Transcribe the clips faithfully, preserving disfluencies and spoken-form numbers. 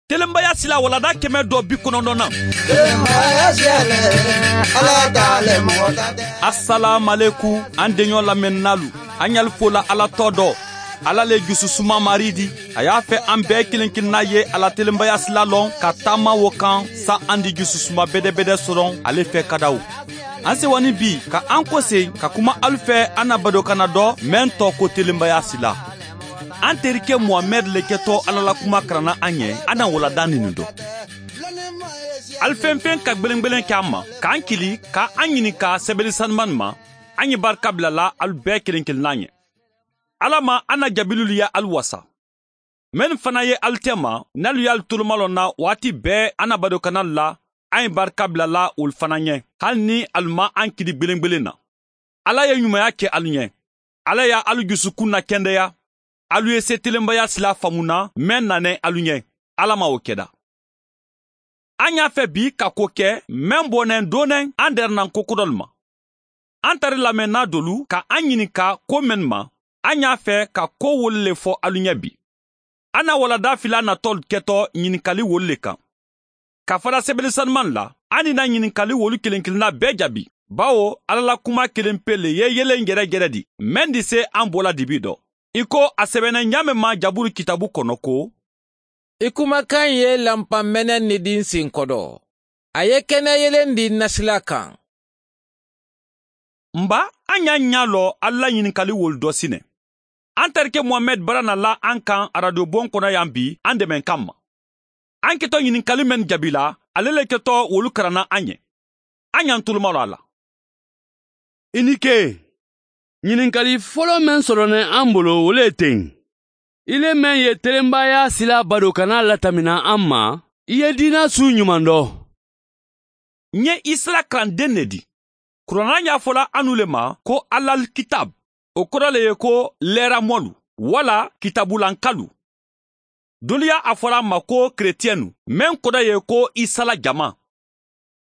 Telenbaya sila walanda kɛmɛ dɔ bi kɔnɔntɔnnan. Asalaamualeykum, an deɲɔ lamɛnnaalu, an ɲali fola Ala tɔgɔ dɔ. Ala le jususuma Mari di. A y'a fɛ an bɛɛ kelen-kelenna ye a la telenbaya sila lɔn ka taama o kan, sa an di jususuma bɛdɛbɛdɛ sɔrɔ ale fɛ kadaw. An sewani bi ka an kose ka kuma alu fɛ an na badokanna dɔ, mɛn tɔgɔ ko telenbaya sila. An terike Muhamɛdi le kɛtɔ Ala la kuma karanna an ye, an na walanda nini dɔ. Alu fɛn fɛn ka gbelengbelen kɛ an ma, k'an kili, ka an ɲininka sɛbɛli sanumani ma, an ye barika bilala alu bɛɛ kelen-kelenna ye. Ala ma an na jabililu ye alu wasa. Mennu fana ye alu tema, n'alu y'alu tolomalɔn na waati bɛɛ an na badokannalu la, an ye barika bilala wolu fana ye, hali ni alu ma an kili gbelengbelen na. Ala ye ɲumanya ke alu ye. Ala ye alu jusukun nakendeya. Alu ye se telenbaya sila faamu na, meŋ nana alu ye. Ala ma wo keda. An y'a fɛ bi ka ko ke meŋ bonnen donnen an dɛrɛnna ko kodolu ma. An tari lamɛnna dolu ka an ɲininka ko mennu ma, an y'a fɛ ka ko wolu le fo alu ye bi. An na walanda fila natɔlu kɛtɔ ɲininkali wolu le kan. Ka fara sɛbɛli sanumani la, an ni na ɲininkali wolu kelen-kelenna bɛɛ jaabi, bawo Ala la kuma kelen pe le ye yelen jɛrɛjɛrɛ di, meŋ di se an bo la dibi dɔ. I ko a sɛbɛnnen ɲaameŋ ma Jaburu kitaabu kono ko: I kumakan ye lanpa meneŋ ni di n sin kodo, a ye kene yelen di n na sila kaŋ. N ba, an y'a ɲa lɔ alu la ɲininkali wolu dɔ sine. An tarike Muhamɛdi bara na la an kaŋ arajo bon kono yan bi an demenkan ma. An ketɔ ɲininkali mennu jaabila, ale le ketɔ wolu karanna an ye. An y'an tolomalɔ a la. I ni ke, ɲininkali folo meŋ soronnen an bolo, wo le teŋ. I le meŋ ye telenbaya sila badokanna latamina an ma, i ye diina su ɲuman dɔ. N ye isala karanden ne di. Kurana ɲaafola anu le ma ko alal kitab, o kɔrɔ le ye ko leeramolu, wala kitabulankalu. Dolu y'a fola ma ko keretiyɛnu, meŋ kɔrɔ ye ko isala jama.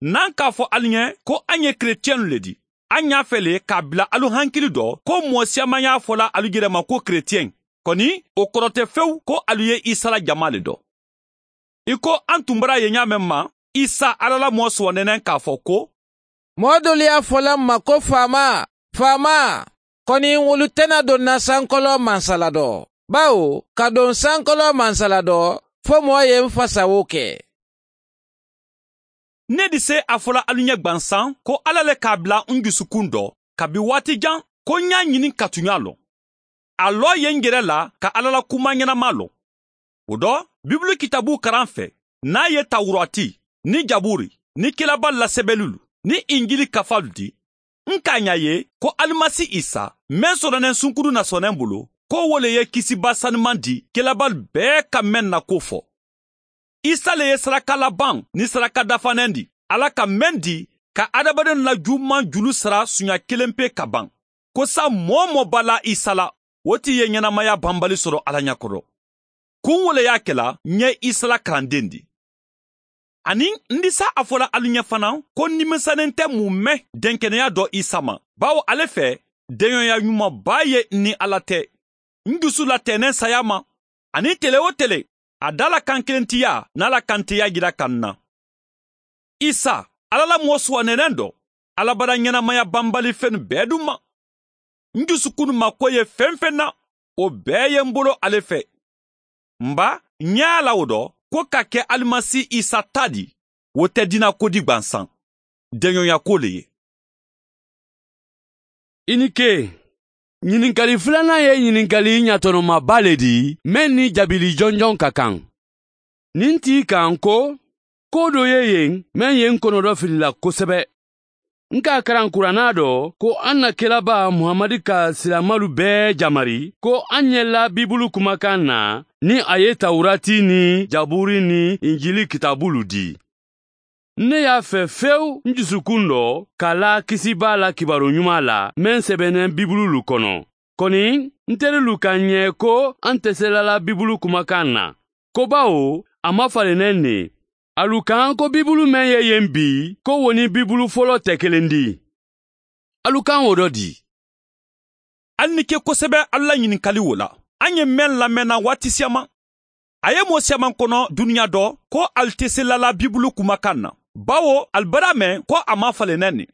Nan k'a fo alu ye ko an ye keretiyɛnu le di, an y'a fɛ le k'a bila alu hankili dɔ ko moo siyaman y'a fola alu yɛrɛ ma ko keretiyɛn. Kɔni, o kɔrɔ tɛ fewu ko alu ye isala jama le dɔ. I ko an tun bara ye ɲaameŋ ma, isa ala la moo suwannenen k'a fɔ ko: Moo dolu y'a fola n ma ko faama, faama. Kɔni, wolu tɛna don n na sankolon mansala dɔ, bawo ka don sankolon mansala dɔ, fo moo ye n fa sawo kɛ. Ne di se a fola alu ye gbansan ko ala le k'a bila n jusukun dɔ, kabi waati jan, ko n y'a ɲini ka tuɲa lɔn. A lɔ ye n yɛrɛ la ka ala la kuma ɲɛnama lɔn. O dɔ, bibulu kitaabu karan fɛ, n'a ye tawurati, ni jaburi, ni kelabali la sɛbɛlulu, ni injili kafalu di, n k'a ɲa ye ko alimasi isa, meŋ sɔrɔnen sunkuru na sɔnnen bolo, ko wo le ye kisiba sanuman di kelabali bɛɛ ka meŋ na ko fɔ. Isa le ye saraka laban ni saraka dafanen di ala ka meŋ di ka adamadenw la juguman julu sara suɲa kelen pe ka ban, ko sa moo wo moo b'a la isa la, wo ti ye ɲɛnamaya banbali sɔrɔ ala ɲa kɔrɔ. Kun wo le y'a kɛla n ye isa la karanden di. Ani n disa a fola alu ɲɛ fana ko n nimisanen tɛ mun mɛn denkeneya dɔ isa ma, bawo ale fɛ deɲɔya ɲumanba ye n ni ala tɛ. N dusu la tɛnɛn saya ma, ani tele wo tele, a da la kan kelen tiya n'a la kantiya jira ka n na. Isa, ala la moo suwannenen dɔ, alabada ɲɛnamaya banbali fɛnnu bɛɛ dun ma. N jusukun ma ko ye fɛn fɛn na, o bɛɛ ye n bolo ale fɛ. N ba, n y'a la o dɔ ko ka kɛ alimasi isa ta di, wo tɛ diina ko di gbansan, deɲɔya ko le ye. I ni ke, ɲininkali filanan ye ɲininkali ɲatɔnɔmaba le di, meŋ ni jaabili jɔnjɔn ka kan. Nin t'i kan ko, ko dɔ ye yen, meŋ ye n kɔnɔdɔ fili la kosɛbɛ. N k'a karan kuranna dɔ ko an na kelaba Muhamadi ka silamalu bɛɛ jamari ko an ɲɛ la bibulu kumakan na, ni a ye tawurati ni jaburi ni injili kitaabulu di. Ne y'a fɛ fewu n jusukun dɔ ka la kisi b'a la kibaru ɲuman la meŋ sɛbɛnnen bibululu kɔnɔ. Kɔni, n terilu ka ɲɛ ko an tɛ se la la bibulu kumakan na, ko bawo a ma falennen ne. Alu kan ko bibulu meŋ ye yen bi, ko wo ni bibulu fɔlɔ tɛ kelen di. Alu kan wo dɔ di. Alu ni ke kosɛbɛ alu la ɲininkali wo la. An ye meŋ lamɛnna waati siyaman. A ye moo siyamaŋ kono duniya dɔ ko ali te se lala bibulu kumakaŋ na, bawo ali bara a meŋ ko a maŋ a fale naŋ ne.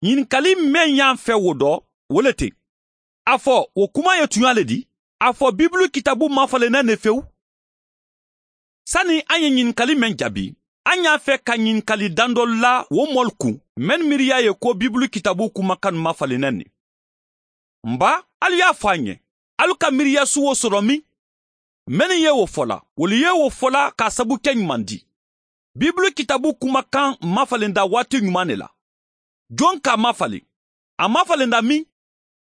Ñinkali meŋ ye a feŋ wo dɔ, wo le ti. A fo wo kuma ye tuñaa le di? A fo bibulu kitaabu maŋ a fale naŋ ne fewu? Sani a ye ñinkali meŋ jaabi, a ñaa fe ka ñinkali dandolu la wo moolu kuŋ mennu miiriyaa ye ko bibulu kitaabu kumakaŋ maŋ a fale naŋ ne. Mba, ali ye a fo a ñe, ali ka miiriyaa suwo soto miŋ? Mennu ye wo fo la wolu ye wo fo la ka a sabu ke ñumandi. Bibulu kitaabu kumakaŋ maŋ a fale nda waati ñumaaŋ ne la. Joŋ ka a maŋ a fale? A maŋ a fale nda miŋ?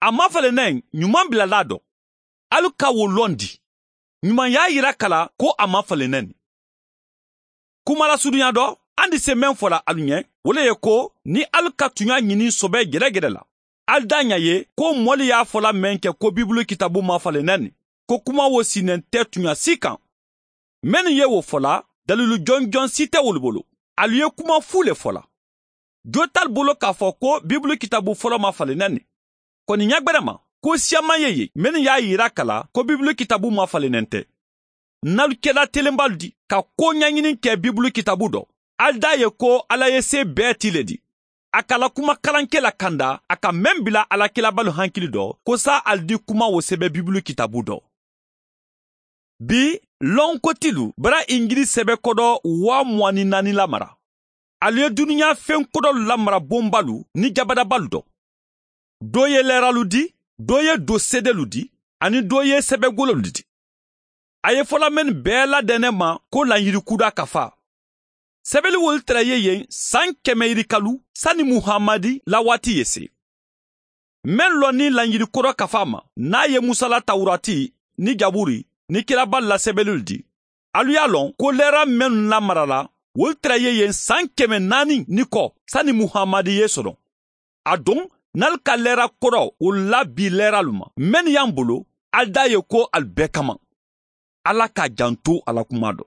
A maŋ a fale naŋ ñumaaŋ bilala a do. Ali ka wo londi. Ñumaaŋ ye a yira ka la ko a maŋ a fale naŋ ne. Kuma la suduñaa do, a ndi se meŋ fo la ali ñe, wo le ye ko niŋ ali ka tuñaa ñini sobee gedegede la, ali daa ña ye ko moolu ye a fo la meŋ ke ko bibulu kitaabu maŋ a fale naŋ ne, ko kuma wo si nente tuñaa sii kaŋ. Mennu ye wo fo la, daliilu jonjoŋ si te wolu bulu. Ali ye kuma fuu le fo la. Joo te ali bulu ka a fo ko bibulu kitaabu folo maŋ a fale naŋ ne? Koni ñagberema, kuu siyamaŋ ye ye mennu ye a yira ka la ko bibulu kitaabu maŋ a fale naŋ nte. Nnaalu kela telembalu di ka koo ñañiniŋ ke bibulu kitaabu do. Ali daa ye ko alla ye see bee tii le di. A ka a la kuma kalanke la kanda a ka meŋ bila a la kilaabaalu hankili do ko saa ali di kuma wo sebe bibulu kitaabu do. Bi, lonkotilu bara injili sebe kodo waa muwaani naani lamara. Ali ye duniyaa feŋ kodolu lamara bombaalu ni jabadabaalu do. Doo ye leeralu di, doo ye doo seedelu di, aniŋ doo ye sebegololu di. A ye fo la mennu bee la dene ma ko lañyiri kuudaa kafaa. Sebeli wolu tara ye yen saŋ keme yirikalu sani muhamadi la waati ye see. Meŋ loŋ niŋ lañyiri kodo kafaa ma niŋ a ye musa la tawuraati, niŋ jaburi, niŋ kilaabaalu la sebelulu di. Alu ye a loŋ ko leera mennu lamarala wolu tara ye yen saŋ keme naani ni ko sani muhamadi ye sodoŋ. Aduŋ, niŋ ali ka leera kodo wolu la bii leeralu ma mennu ye a bulu, ali daa ye ko ali bee kamaŋ. Alla ka a janto a la kumaa do.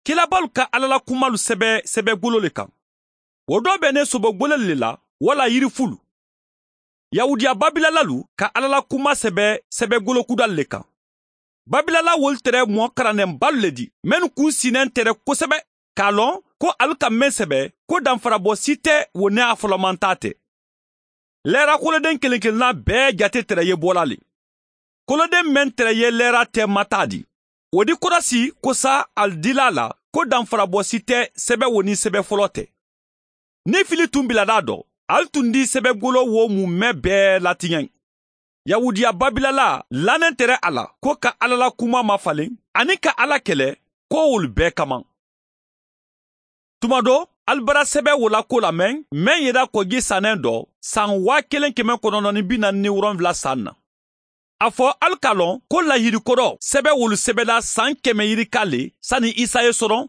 Kilaabaalu ka alla la kumaalu sebe sebegolo le kaŋ. Wo doo be ne sobogololu le la walla yirifulu. Yahudiya babilalalu ka alla la kumaa sebe sebegolo kudaalu le kaŋ. Babilala wolu tere moo karandenbaalu le di mennu kuŋ si neŋ tere kosebe ka a loŋ ko ali ka meŋ sebe ko danfarabo si te wo ne a folomantaa te. Leera kolodeŋ keleŋ keleŋ naa bee jate tere ye bola le. Kolodeŋ meŋ tere ye leera te mataa di, wo di korasi kosa ali dila a la ko danfarabo si te sebe wo niŋ sebe foloo te. Niŋ fili tuŋ biladaa do, ali tuŋ di sebegolo wo mu mee bee latiñeŋ. Yahudiya babilala laneŋ tere a la ko ka alla la kumaa mafaliŋ aniŋ ka alla kele, ko wolu bee kamaŋ. Tuma do, ali bara sebe wo la ko lameŋ meŋ yeda ko gi saneŋ do, saŋ waa keleŋ keme konono ni bi naani ni woronwula saŋ na. A fo ali ka loŋ ko lahiidi kodo sebe wolu sebeda saŋ keme yirika le sani isa ye soroŋ.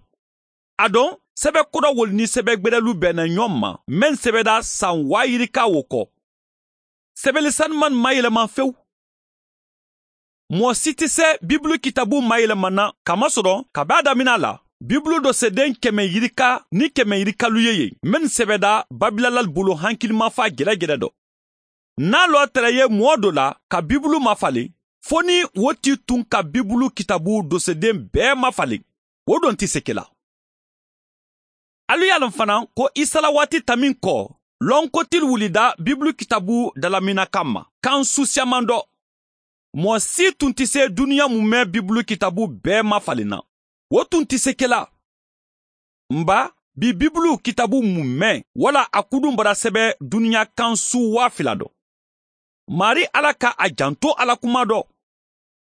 Aduŋ, sebe kodo wolu niŋ sebe gberelu bee ne ñoŋ ma meŋ sebeda saŋ waa yirika wo ko. Sebeli sanumaŋ maŋ yelema fewu. Moo si ti se bibulu kitaabu maŋ yelema na ka masoro ka be a damina la. Bibulu do sedeŋ keme yirika niŋ keme yirikalu ye ye mennu sebeda babilalalu bulu hankilimafaa gedegede do. Niŋ a loo tara ye moo do la ka bibulu mafaliŋ, fo niŋ wo tii tuŋ ka bibulu kitaabu do sedeŋ bee mafaliŋ, wo doŋ ti se ke la. Alu ye a loŋ fanaa ko isa la waati tamiŋ ko, lonkotilu wulida bibulu kitaabu dalaminakaŋ ma kaŋ suusiyamaŋ do. Moo si tun ti se duniya mu mee bibulu kitaabu bee mafaliŋ na. Wo tun ti se ke la. Mba, bi bibulu kitaabu mu mee walla a kuduŋ bara sebe duniya kaŋ suu waa fila do. Maarii alla ka a janto a la kumaa do.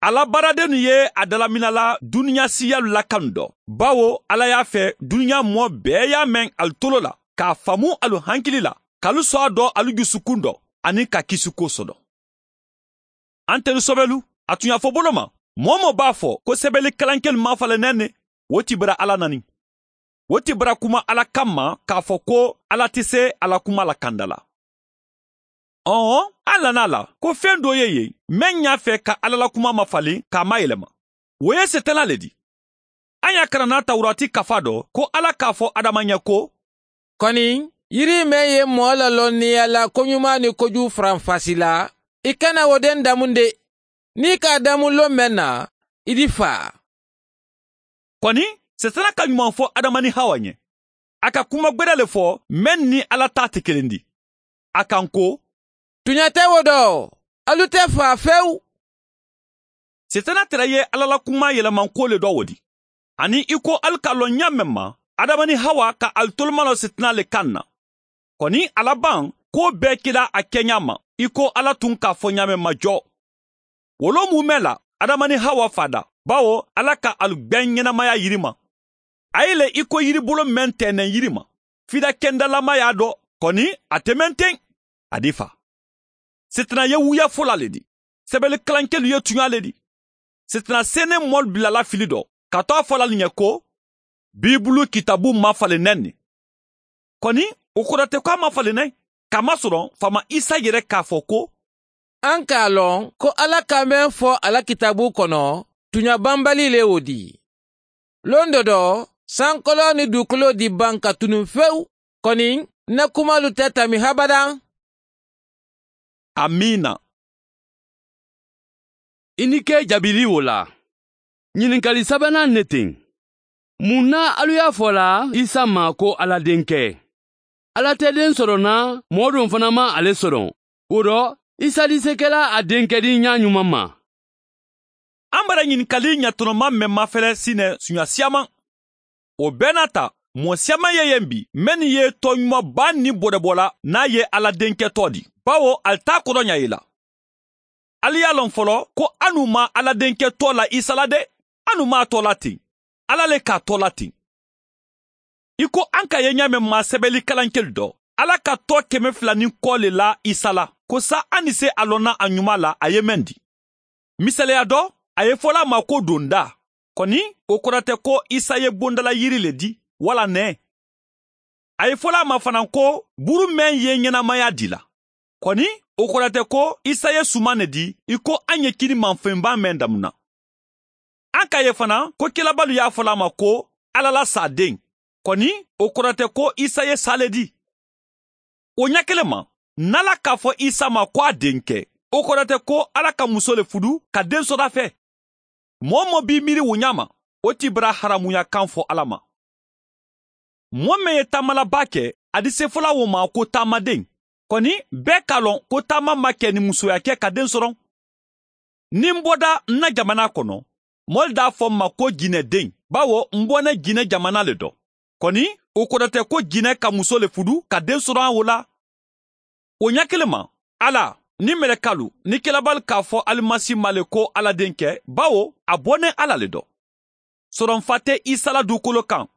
A la baaradennu ye a dalaminala duniya siiyalu la kanu do, bawo alla ye a fee duniya moo bee ye a meŋ ali tolo la, ka a famu ali hankili la, ka ali soo a do ali jusukuŋ do, aniŋ ka kisikuwo soto. Antelu sobelu, a tuñafoboloma, moo-wo-moo be a fo ko sebeli kalankelu maŋ a fo a la neŋ ne. Wo ti bara alla naniŋ. Wo ti bara kuma alla kamma ka a fo ko alla ti se a la kuma la kanda la. Ɔɔ, a lana a la ko feŋ doo ye yen meŋ ñaa fee ka alla la kuma mafaliŋ ka a mayelema. Wo ye setanaa le di. A ñaa karanna tawuraati kafaa do ko alla ka a fo adama ñe ko, koni yiri meŋ ye moo la lonniya la koñumaa niŋ kojuu faranfasi la, i kana wo deŋ damundi. Niŋ i ka a damu loŋ meŋ na, I di faa. Kɔni, setana ka ɲuman fo adama ni hawa ɲɛ. A ka kuma gbɛrɛ le fo mennu ni ala taa te kelen di. A kan ko, tuɲa tɛ wo dɔ. Alu tɛ faa fewu. Setana tere ye ala la kuma yɛlɛmanko le dɔ wo di. Ani i ko alu ka lɔn ɲa men ma, adama ni hawa ka alu toluma lɔ setana le kan na. Kɔni, a laban ko bɛɛ kela a kɛɲa ma, i ko ala tun k'a fɔ ɲa men ma jɔ. Wolo mumɛ la, adama ni hawa fada, bawo ala ka alu gbɛn ɲɛnamaya yiri ma. A ye le i ko yiribolo men tɛnɛn yiri ma, fida kendalama y'a dɔ. Kɔni, a te men ten. A di fa. Setana ye wuya fola le di. Sɛbɛli kalankelu ye tuɲa le di. Setana sennen mɔlu bilala fili dɔ, ka to a fola le ɲɛ ko, bibulu kitabu mafalen nɛ ne. Kɔni, o kɔrɔtɛ ko a mafalen nɛ, kamasɔrɔ faama isa yɛrɛ k'a fɔ ko, an k'a lɔn ko ala ka men fɔ a la kitabu kɔnɔ, tuɲa banbali le wo di. Lon dɔ dɔ, sankolon ni dukolo di ban ka tunun fewu. Kɔni, n na kumalu tɛ tami habadan. Amiina. I ni ke jabili wo la. Ɲininkali sabanan ne ten. Mun na alu y'a fɔ la isa ma ko ala denkɛ? Ala tɛ den sɔrɔ na, mɔɔ don fana ma ale sɔrɔ. Wo dɔ, isa di se kɛla a denkɛ di ɲa ɲuman ma. An bara ɲininkali ɲatɔnɔma men mafɛlɛ sinɛ suɲa siyaman. O bɛɛ n'a ta, mɔɔ siyaman ye yen bi mennu ye tɔɔɲuman baa ni bɔrɛbɔ la n'a ye ala denkɛ tɔɔ di, bawo ali t'a kɔrɔ ɲa ye la. Ali y'a lɔn fɔlɔ ko anu ma ala denkɛ tɔɔ la isa la de. Anu m'a tɔɔ la ten. Ala le k'a tɔɔ la ten. I ko an ka ye ɲa men ma sɛbɛli kalankelu dɔ, ala ka tɔɔ kɛmɛ fila ni kɔ le la isa la, ko sa an ni se a lɔnna a ɲuman la a ye men di. Misaliya dɔ, a ye fola a ma ko donda. Kɔni, o kɔrɔtɛ ko isa ye bondala yiri le di, wala nɛɛ. A ye fola a ma fana ko buru men ye ɲɛnamaya di la. Kɔni, o kɔrɔtɛ ko isa ye suman ne di i ko an ye kini manfenba men damuna. An ka ye fana ko kelabalu y'a fola a ma ko ala la saaden. Kɔni, o kɔrɔtɛ ko isa ye saa le di. O ɲa kelen ma, n'ala k'a fɔ isa ma ko a denkɛ, o kɔrɔtɛ ko ala ka muso le fudu ka den sɔrɔ a fɛ. Mɔɔ-mɔɔ b'i miiri wo ɲa ma, o t'i bara haramuya kan fɔ ala ma. Mɔɔ men ye taamalaba kɛ, a di sefola wo ma ko taamaden. Kɔni, bɛɛ k'a lɔn ko taama ma kɛ ni musoya kɛ ka den sɔrɔ. Ni n bɔda n na jamana kɔnɔ, mɔɔ le d'a fɔ n ma ko jinɛden, bawo n bɔnɛ jinɛ jamana le dɔ. Kɔni, o kɔrɔtɛ ko jinɛ ka muso le fudu ka den sɔrɔ an wo la. O ɲa kelen ma, ala ni mɛlɛkalu ni kelabalu k'a fɔ alimasi ma le ko ala denkɛ, bawo a bɔnɛ ala le dɔ. Sɔrɔnfa tɛ isa la dukolo kan.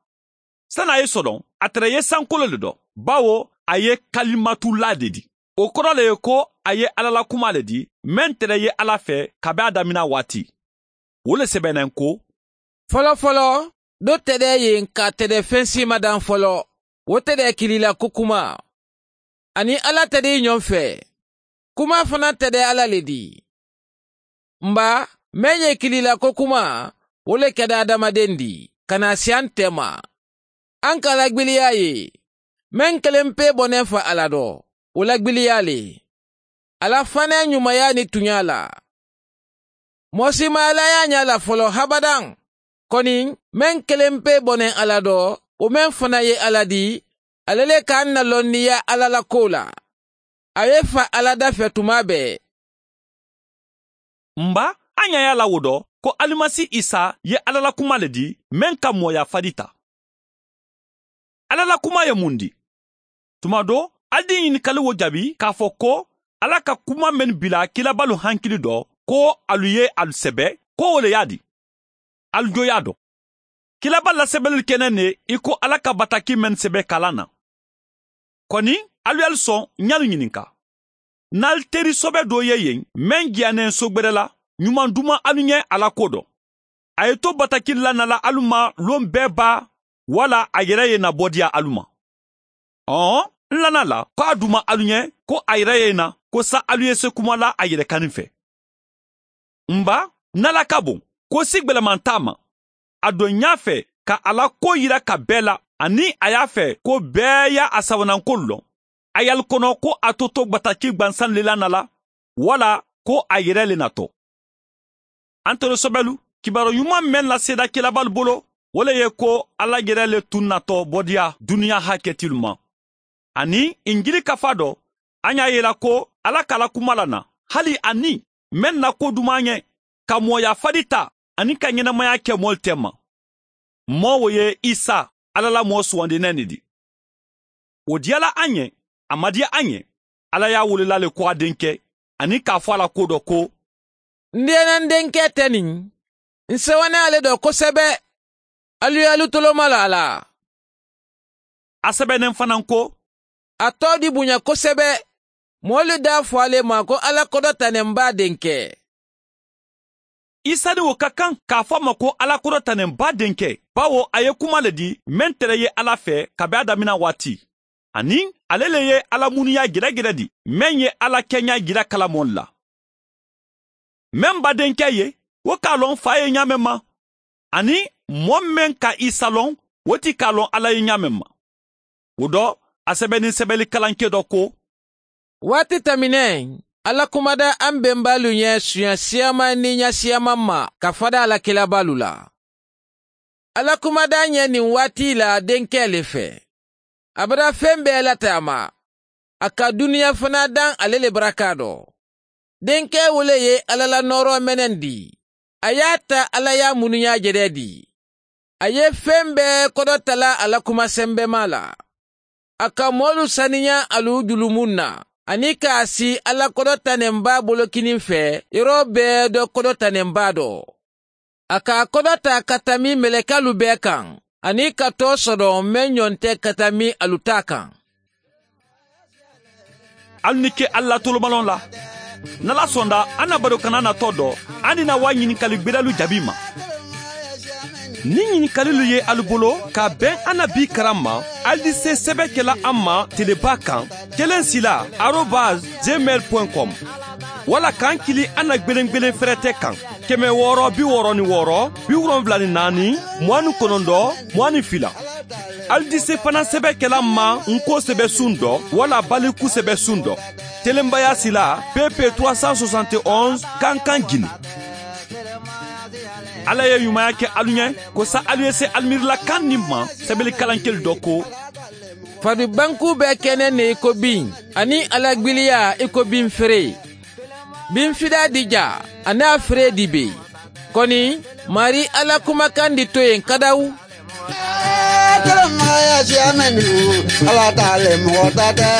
Sani a ye sɔrɔ, a tere ye sankolo le dɔ, bawo a ye kalimatula de di. O kɔrɔ le ye ko a ye ala la kuma le di, men tere ye ala fɛ kabi a damina waati. Wo le sɛbɛnnen ko, fɔlɔfɔlɔ, do tɛdɛ yen ka tɛdɛ fen si ma dan fɔlɔ. Wo tɛdɛ kilila ko kuma. Ani ala tɛdɛ i ɲɔn fɛ. Kuma fana tɛdɛ ala le di. N ba, men ye kilila ko kuma, wo le kɛda adamaden di, ka na siyan tɛ ma. An ka lagbiliya ye, men kelen pe bɔnɛ fa ala dɔ, wo lagbiliya le. Ala fana ɲumaya ni tuɲa la. Mɔɔ si ma ala y'a ɲa la fɔlɔ habadan. Kɔni, men kelen pe bɔnɛ ala dɔ, wo men fana ye ala di, ale le k'an na lɔnniya ala la ko la. A ye fa ala da fɛ tuma bɛɛ. N ba, an ɲa y'a la wo dɔ ko alimasi isa ye ala la kuma le di, men ka mɔɔya fadi ta. Ala la kuma ye mun di? Tuma do, ali di ɲininkali wo jaabi k'a fɔ ko ala ka kuma men bila kilabalu hankili dɔ, ko alu ye alu sɛbɛ, ko wo le y'a di. Alu jo y'a dɔn. Kilaba lasɛbɛli kɛnɛ ne i ko ala ka bataki men sɛbɛ kalan na. Kɔni, alu y'alu sɔn n y'alu ɲininka. N'alu teri sɔbɛ do ye yen men jiyannen so gbɛrɛ la, ɲuman duman alu ɲɛ a la ko dɔn. A ye to bataki lanna la alu ma lon bɛɛ baa, wala a yɛrɛ ye na bɔ diya alu ma? Ɔɔ, n lanna la ko a duman alu ɲɛ ko a yɛrɛ ye na, ko sa alu ye se kuma la a yɛrɛ kanni fɛ. N ba, n'ala ka bon, ko si gwɛlɛman t'a ma. A don ɲa fɛ ka a la ko yira ka bɛɛ la, ani a y'a fɛ ko bɛɛ y'a a sabananko lɔn. A y'alu kɔnɔ ko a to to bataki gbansan le la na la, wala ko a yɛrɛ le natɔ. An toro sɔbɛlu, Kibaaroo ɲuman meŋ la seedekelabaalu bolo, wo le ye ko alla yere le tun natɔ bodiya duniya haketilu ma. Aniŋ injili kafa dɔ, a ye a yila ko alla ka a la kuma la na hali a niŋ meŋ na ko dumaa ɲe, ka moo yaafali taa aniŋ ka ɲenamaya ke moolu te ma. Moo wo ye isa, alla la moo suwandinee ne ti. Wo diyala a ɲe, a madiya a ɲe. Alla ye a wulila le ko a denke, aniŋ ka a fo a la ko dɔ ko, n diyana n denke te niŋ. N sewana a le do kosebe. Alu ye alu tolomalu a la. A sebeneŋ fanaa ko, a too di buɲa kosebe. Moolu daa fo a le ma ko alla kodota ne m baa denke. Isa niŋ wo ka kaŋ ka a fo a ma ko alla kodota ne m baa denke, bawo a ye kuma le di meŋ tere ye alla fee kabiŋ a damina waati. Aniŋ ale le ye alla munuyaa geregere di meŋ ye alla keɲaa jira kalamoolu la. Meŋ ba denke ye, wo ka a loŋ faa ye ɲaameŋ ma. Aniŋ moo meŋ ka isa loŋ, wo ti ka a loŋ alla ye ɲaameŋ ma. Wo do, a sebendi sebelikalankee do ko, waati tamineŋ, alla kumada a m bembaalu ɲee suɲa siyamaŋ niŋ ɲa siyamaŋ ma ka fada a la kilabaalu la. Alla kumada ɲee niŋ waati la denkee le fe. A bada feŋ bee la taama. A ka duniya fanaa daŋ ale le baraka do. Denkee wo le ye alla la nooroo menendi. A ye a taa alla ye a munuyaa jede di. A ye feŋ bee kodotala a la kuma sembemaa la. A ka moolu saniyaa alu julumunna, aniŋ ka a sii alla kodota ne m baa bolokiniŋ fee yeroo bee do kodota ne m baa do. A ka a kodota ka tambi melekelu bee kaŋ, aniŋ ka too sodoŋ meŋ ɲonte ka tambi alu taa kaŋ. Ali ni ke ali la tolomaloŋ la. Ni ala sonda a na bari kana natoo do, a ni na waa ɲinikali gbedelu jaabi ma. Niŋ ɲinikalilu ye ali bolo ka beŋ a na bii karaŋ ma, ali di se sebe kela a ma telebaa kaŋ, keleŋ sila arobas gmail point com. Walla kaŋ kili a na gbelengbelen ferete kaŋ, keme wooro bi wooro ni wooro, bi wolonwula ni naani, muwaani konondo, muwaani fila. Ali di se fanaŋ sebe kela ma n ko sebe suŋ do walla baliku sebe suŋ do. Telenbaya sila pepe trois cent soixante et onze kankan gini. Alla ye ɲumaya ke alu ɲe, ko sa alu ye se alimiirila kaŋ niŋ ma sebelikalankelu do ko, fadi bankuu be keneŋ ne i ko biŋ, aniŋ a la gbiliyaa i ko biŋ feree. Biŋ fidaa di jaa, aniŋ a feree di bee. Koni, maarii alla kumakaŋ di toyeŋ kadawu. Alla taale moxo taate.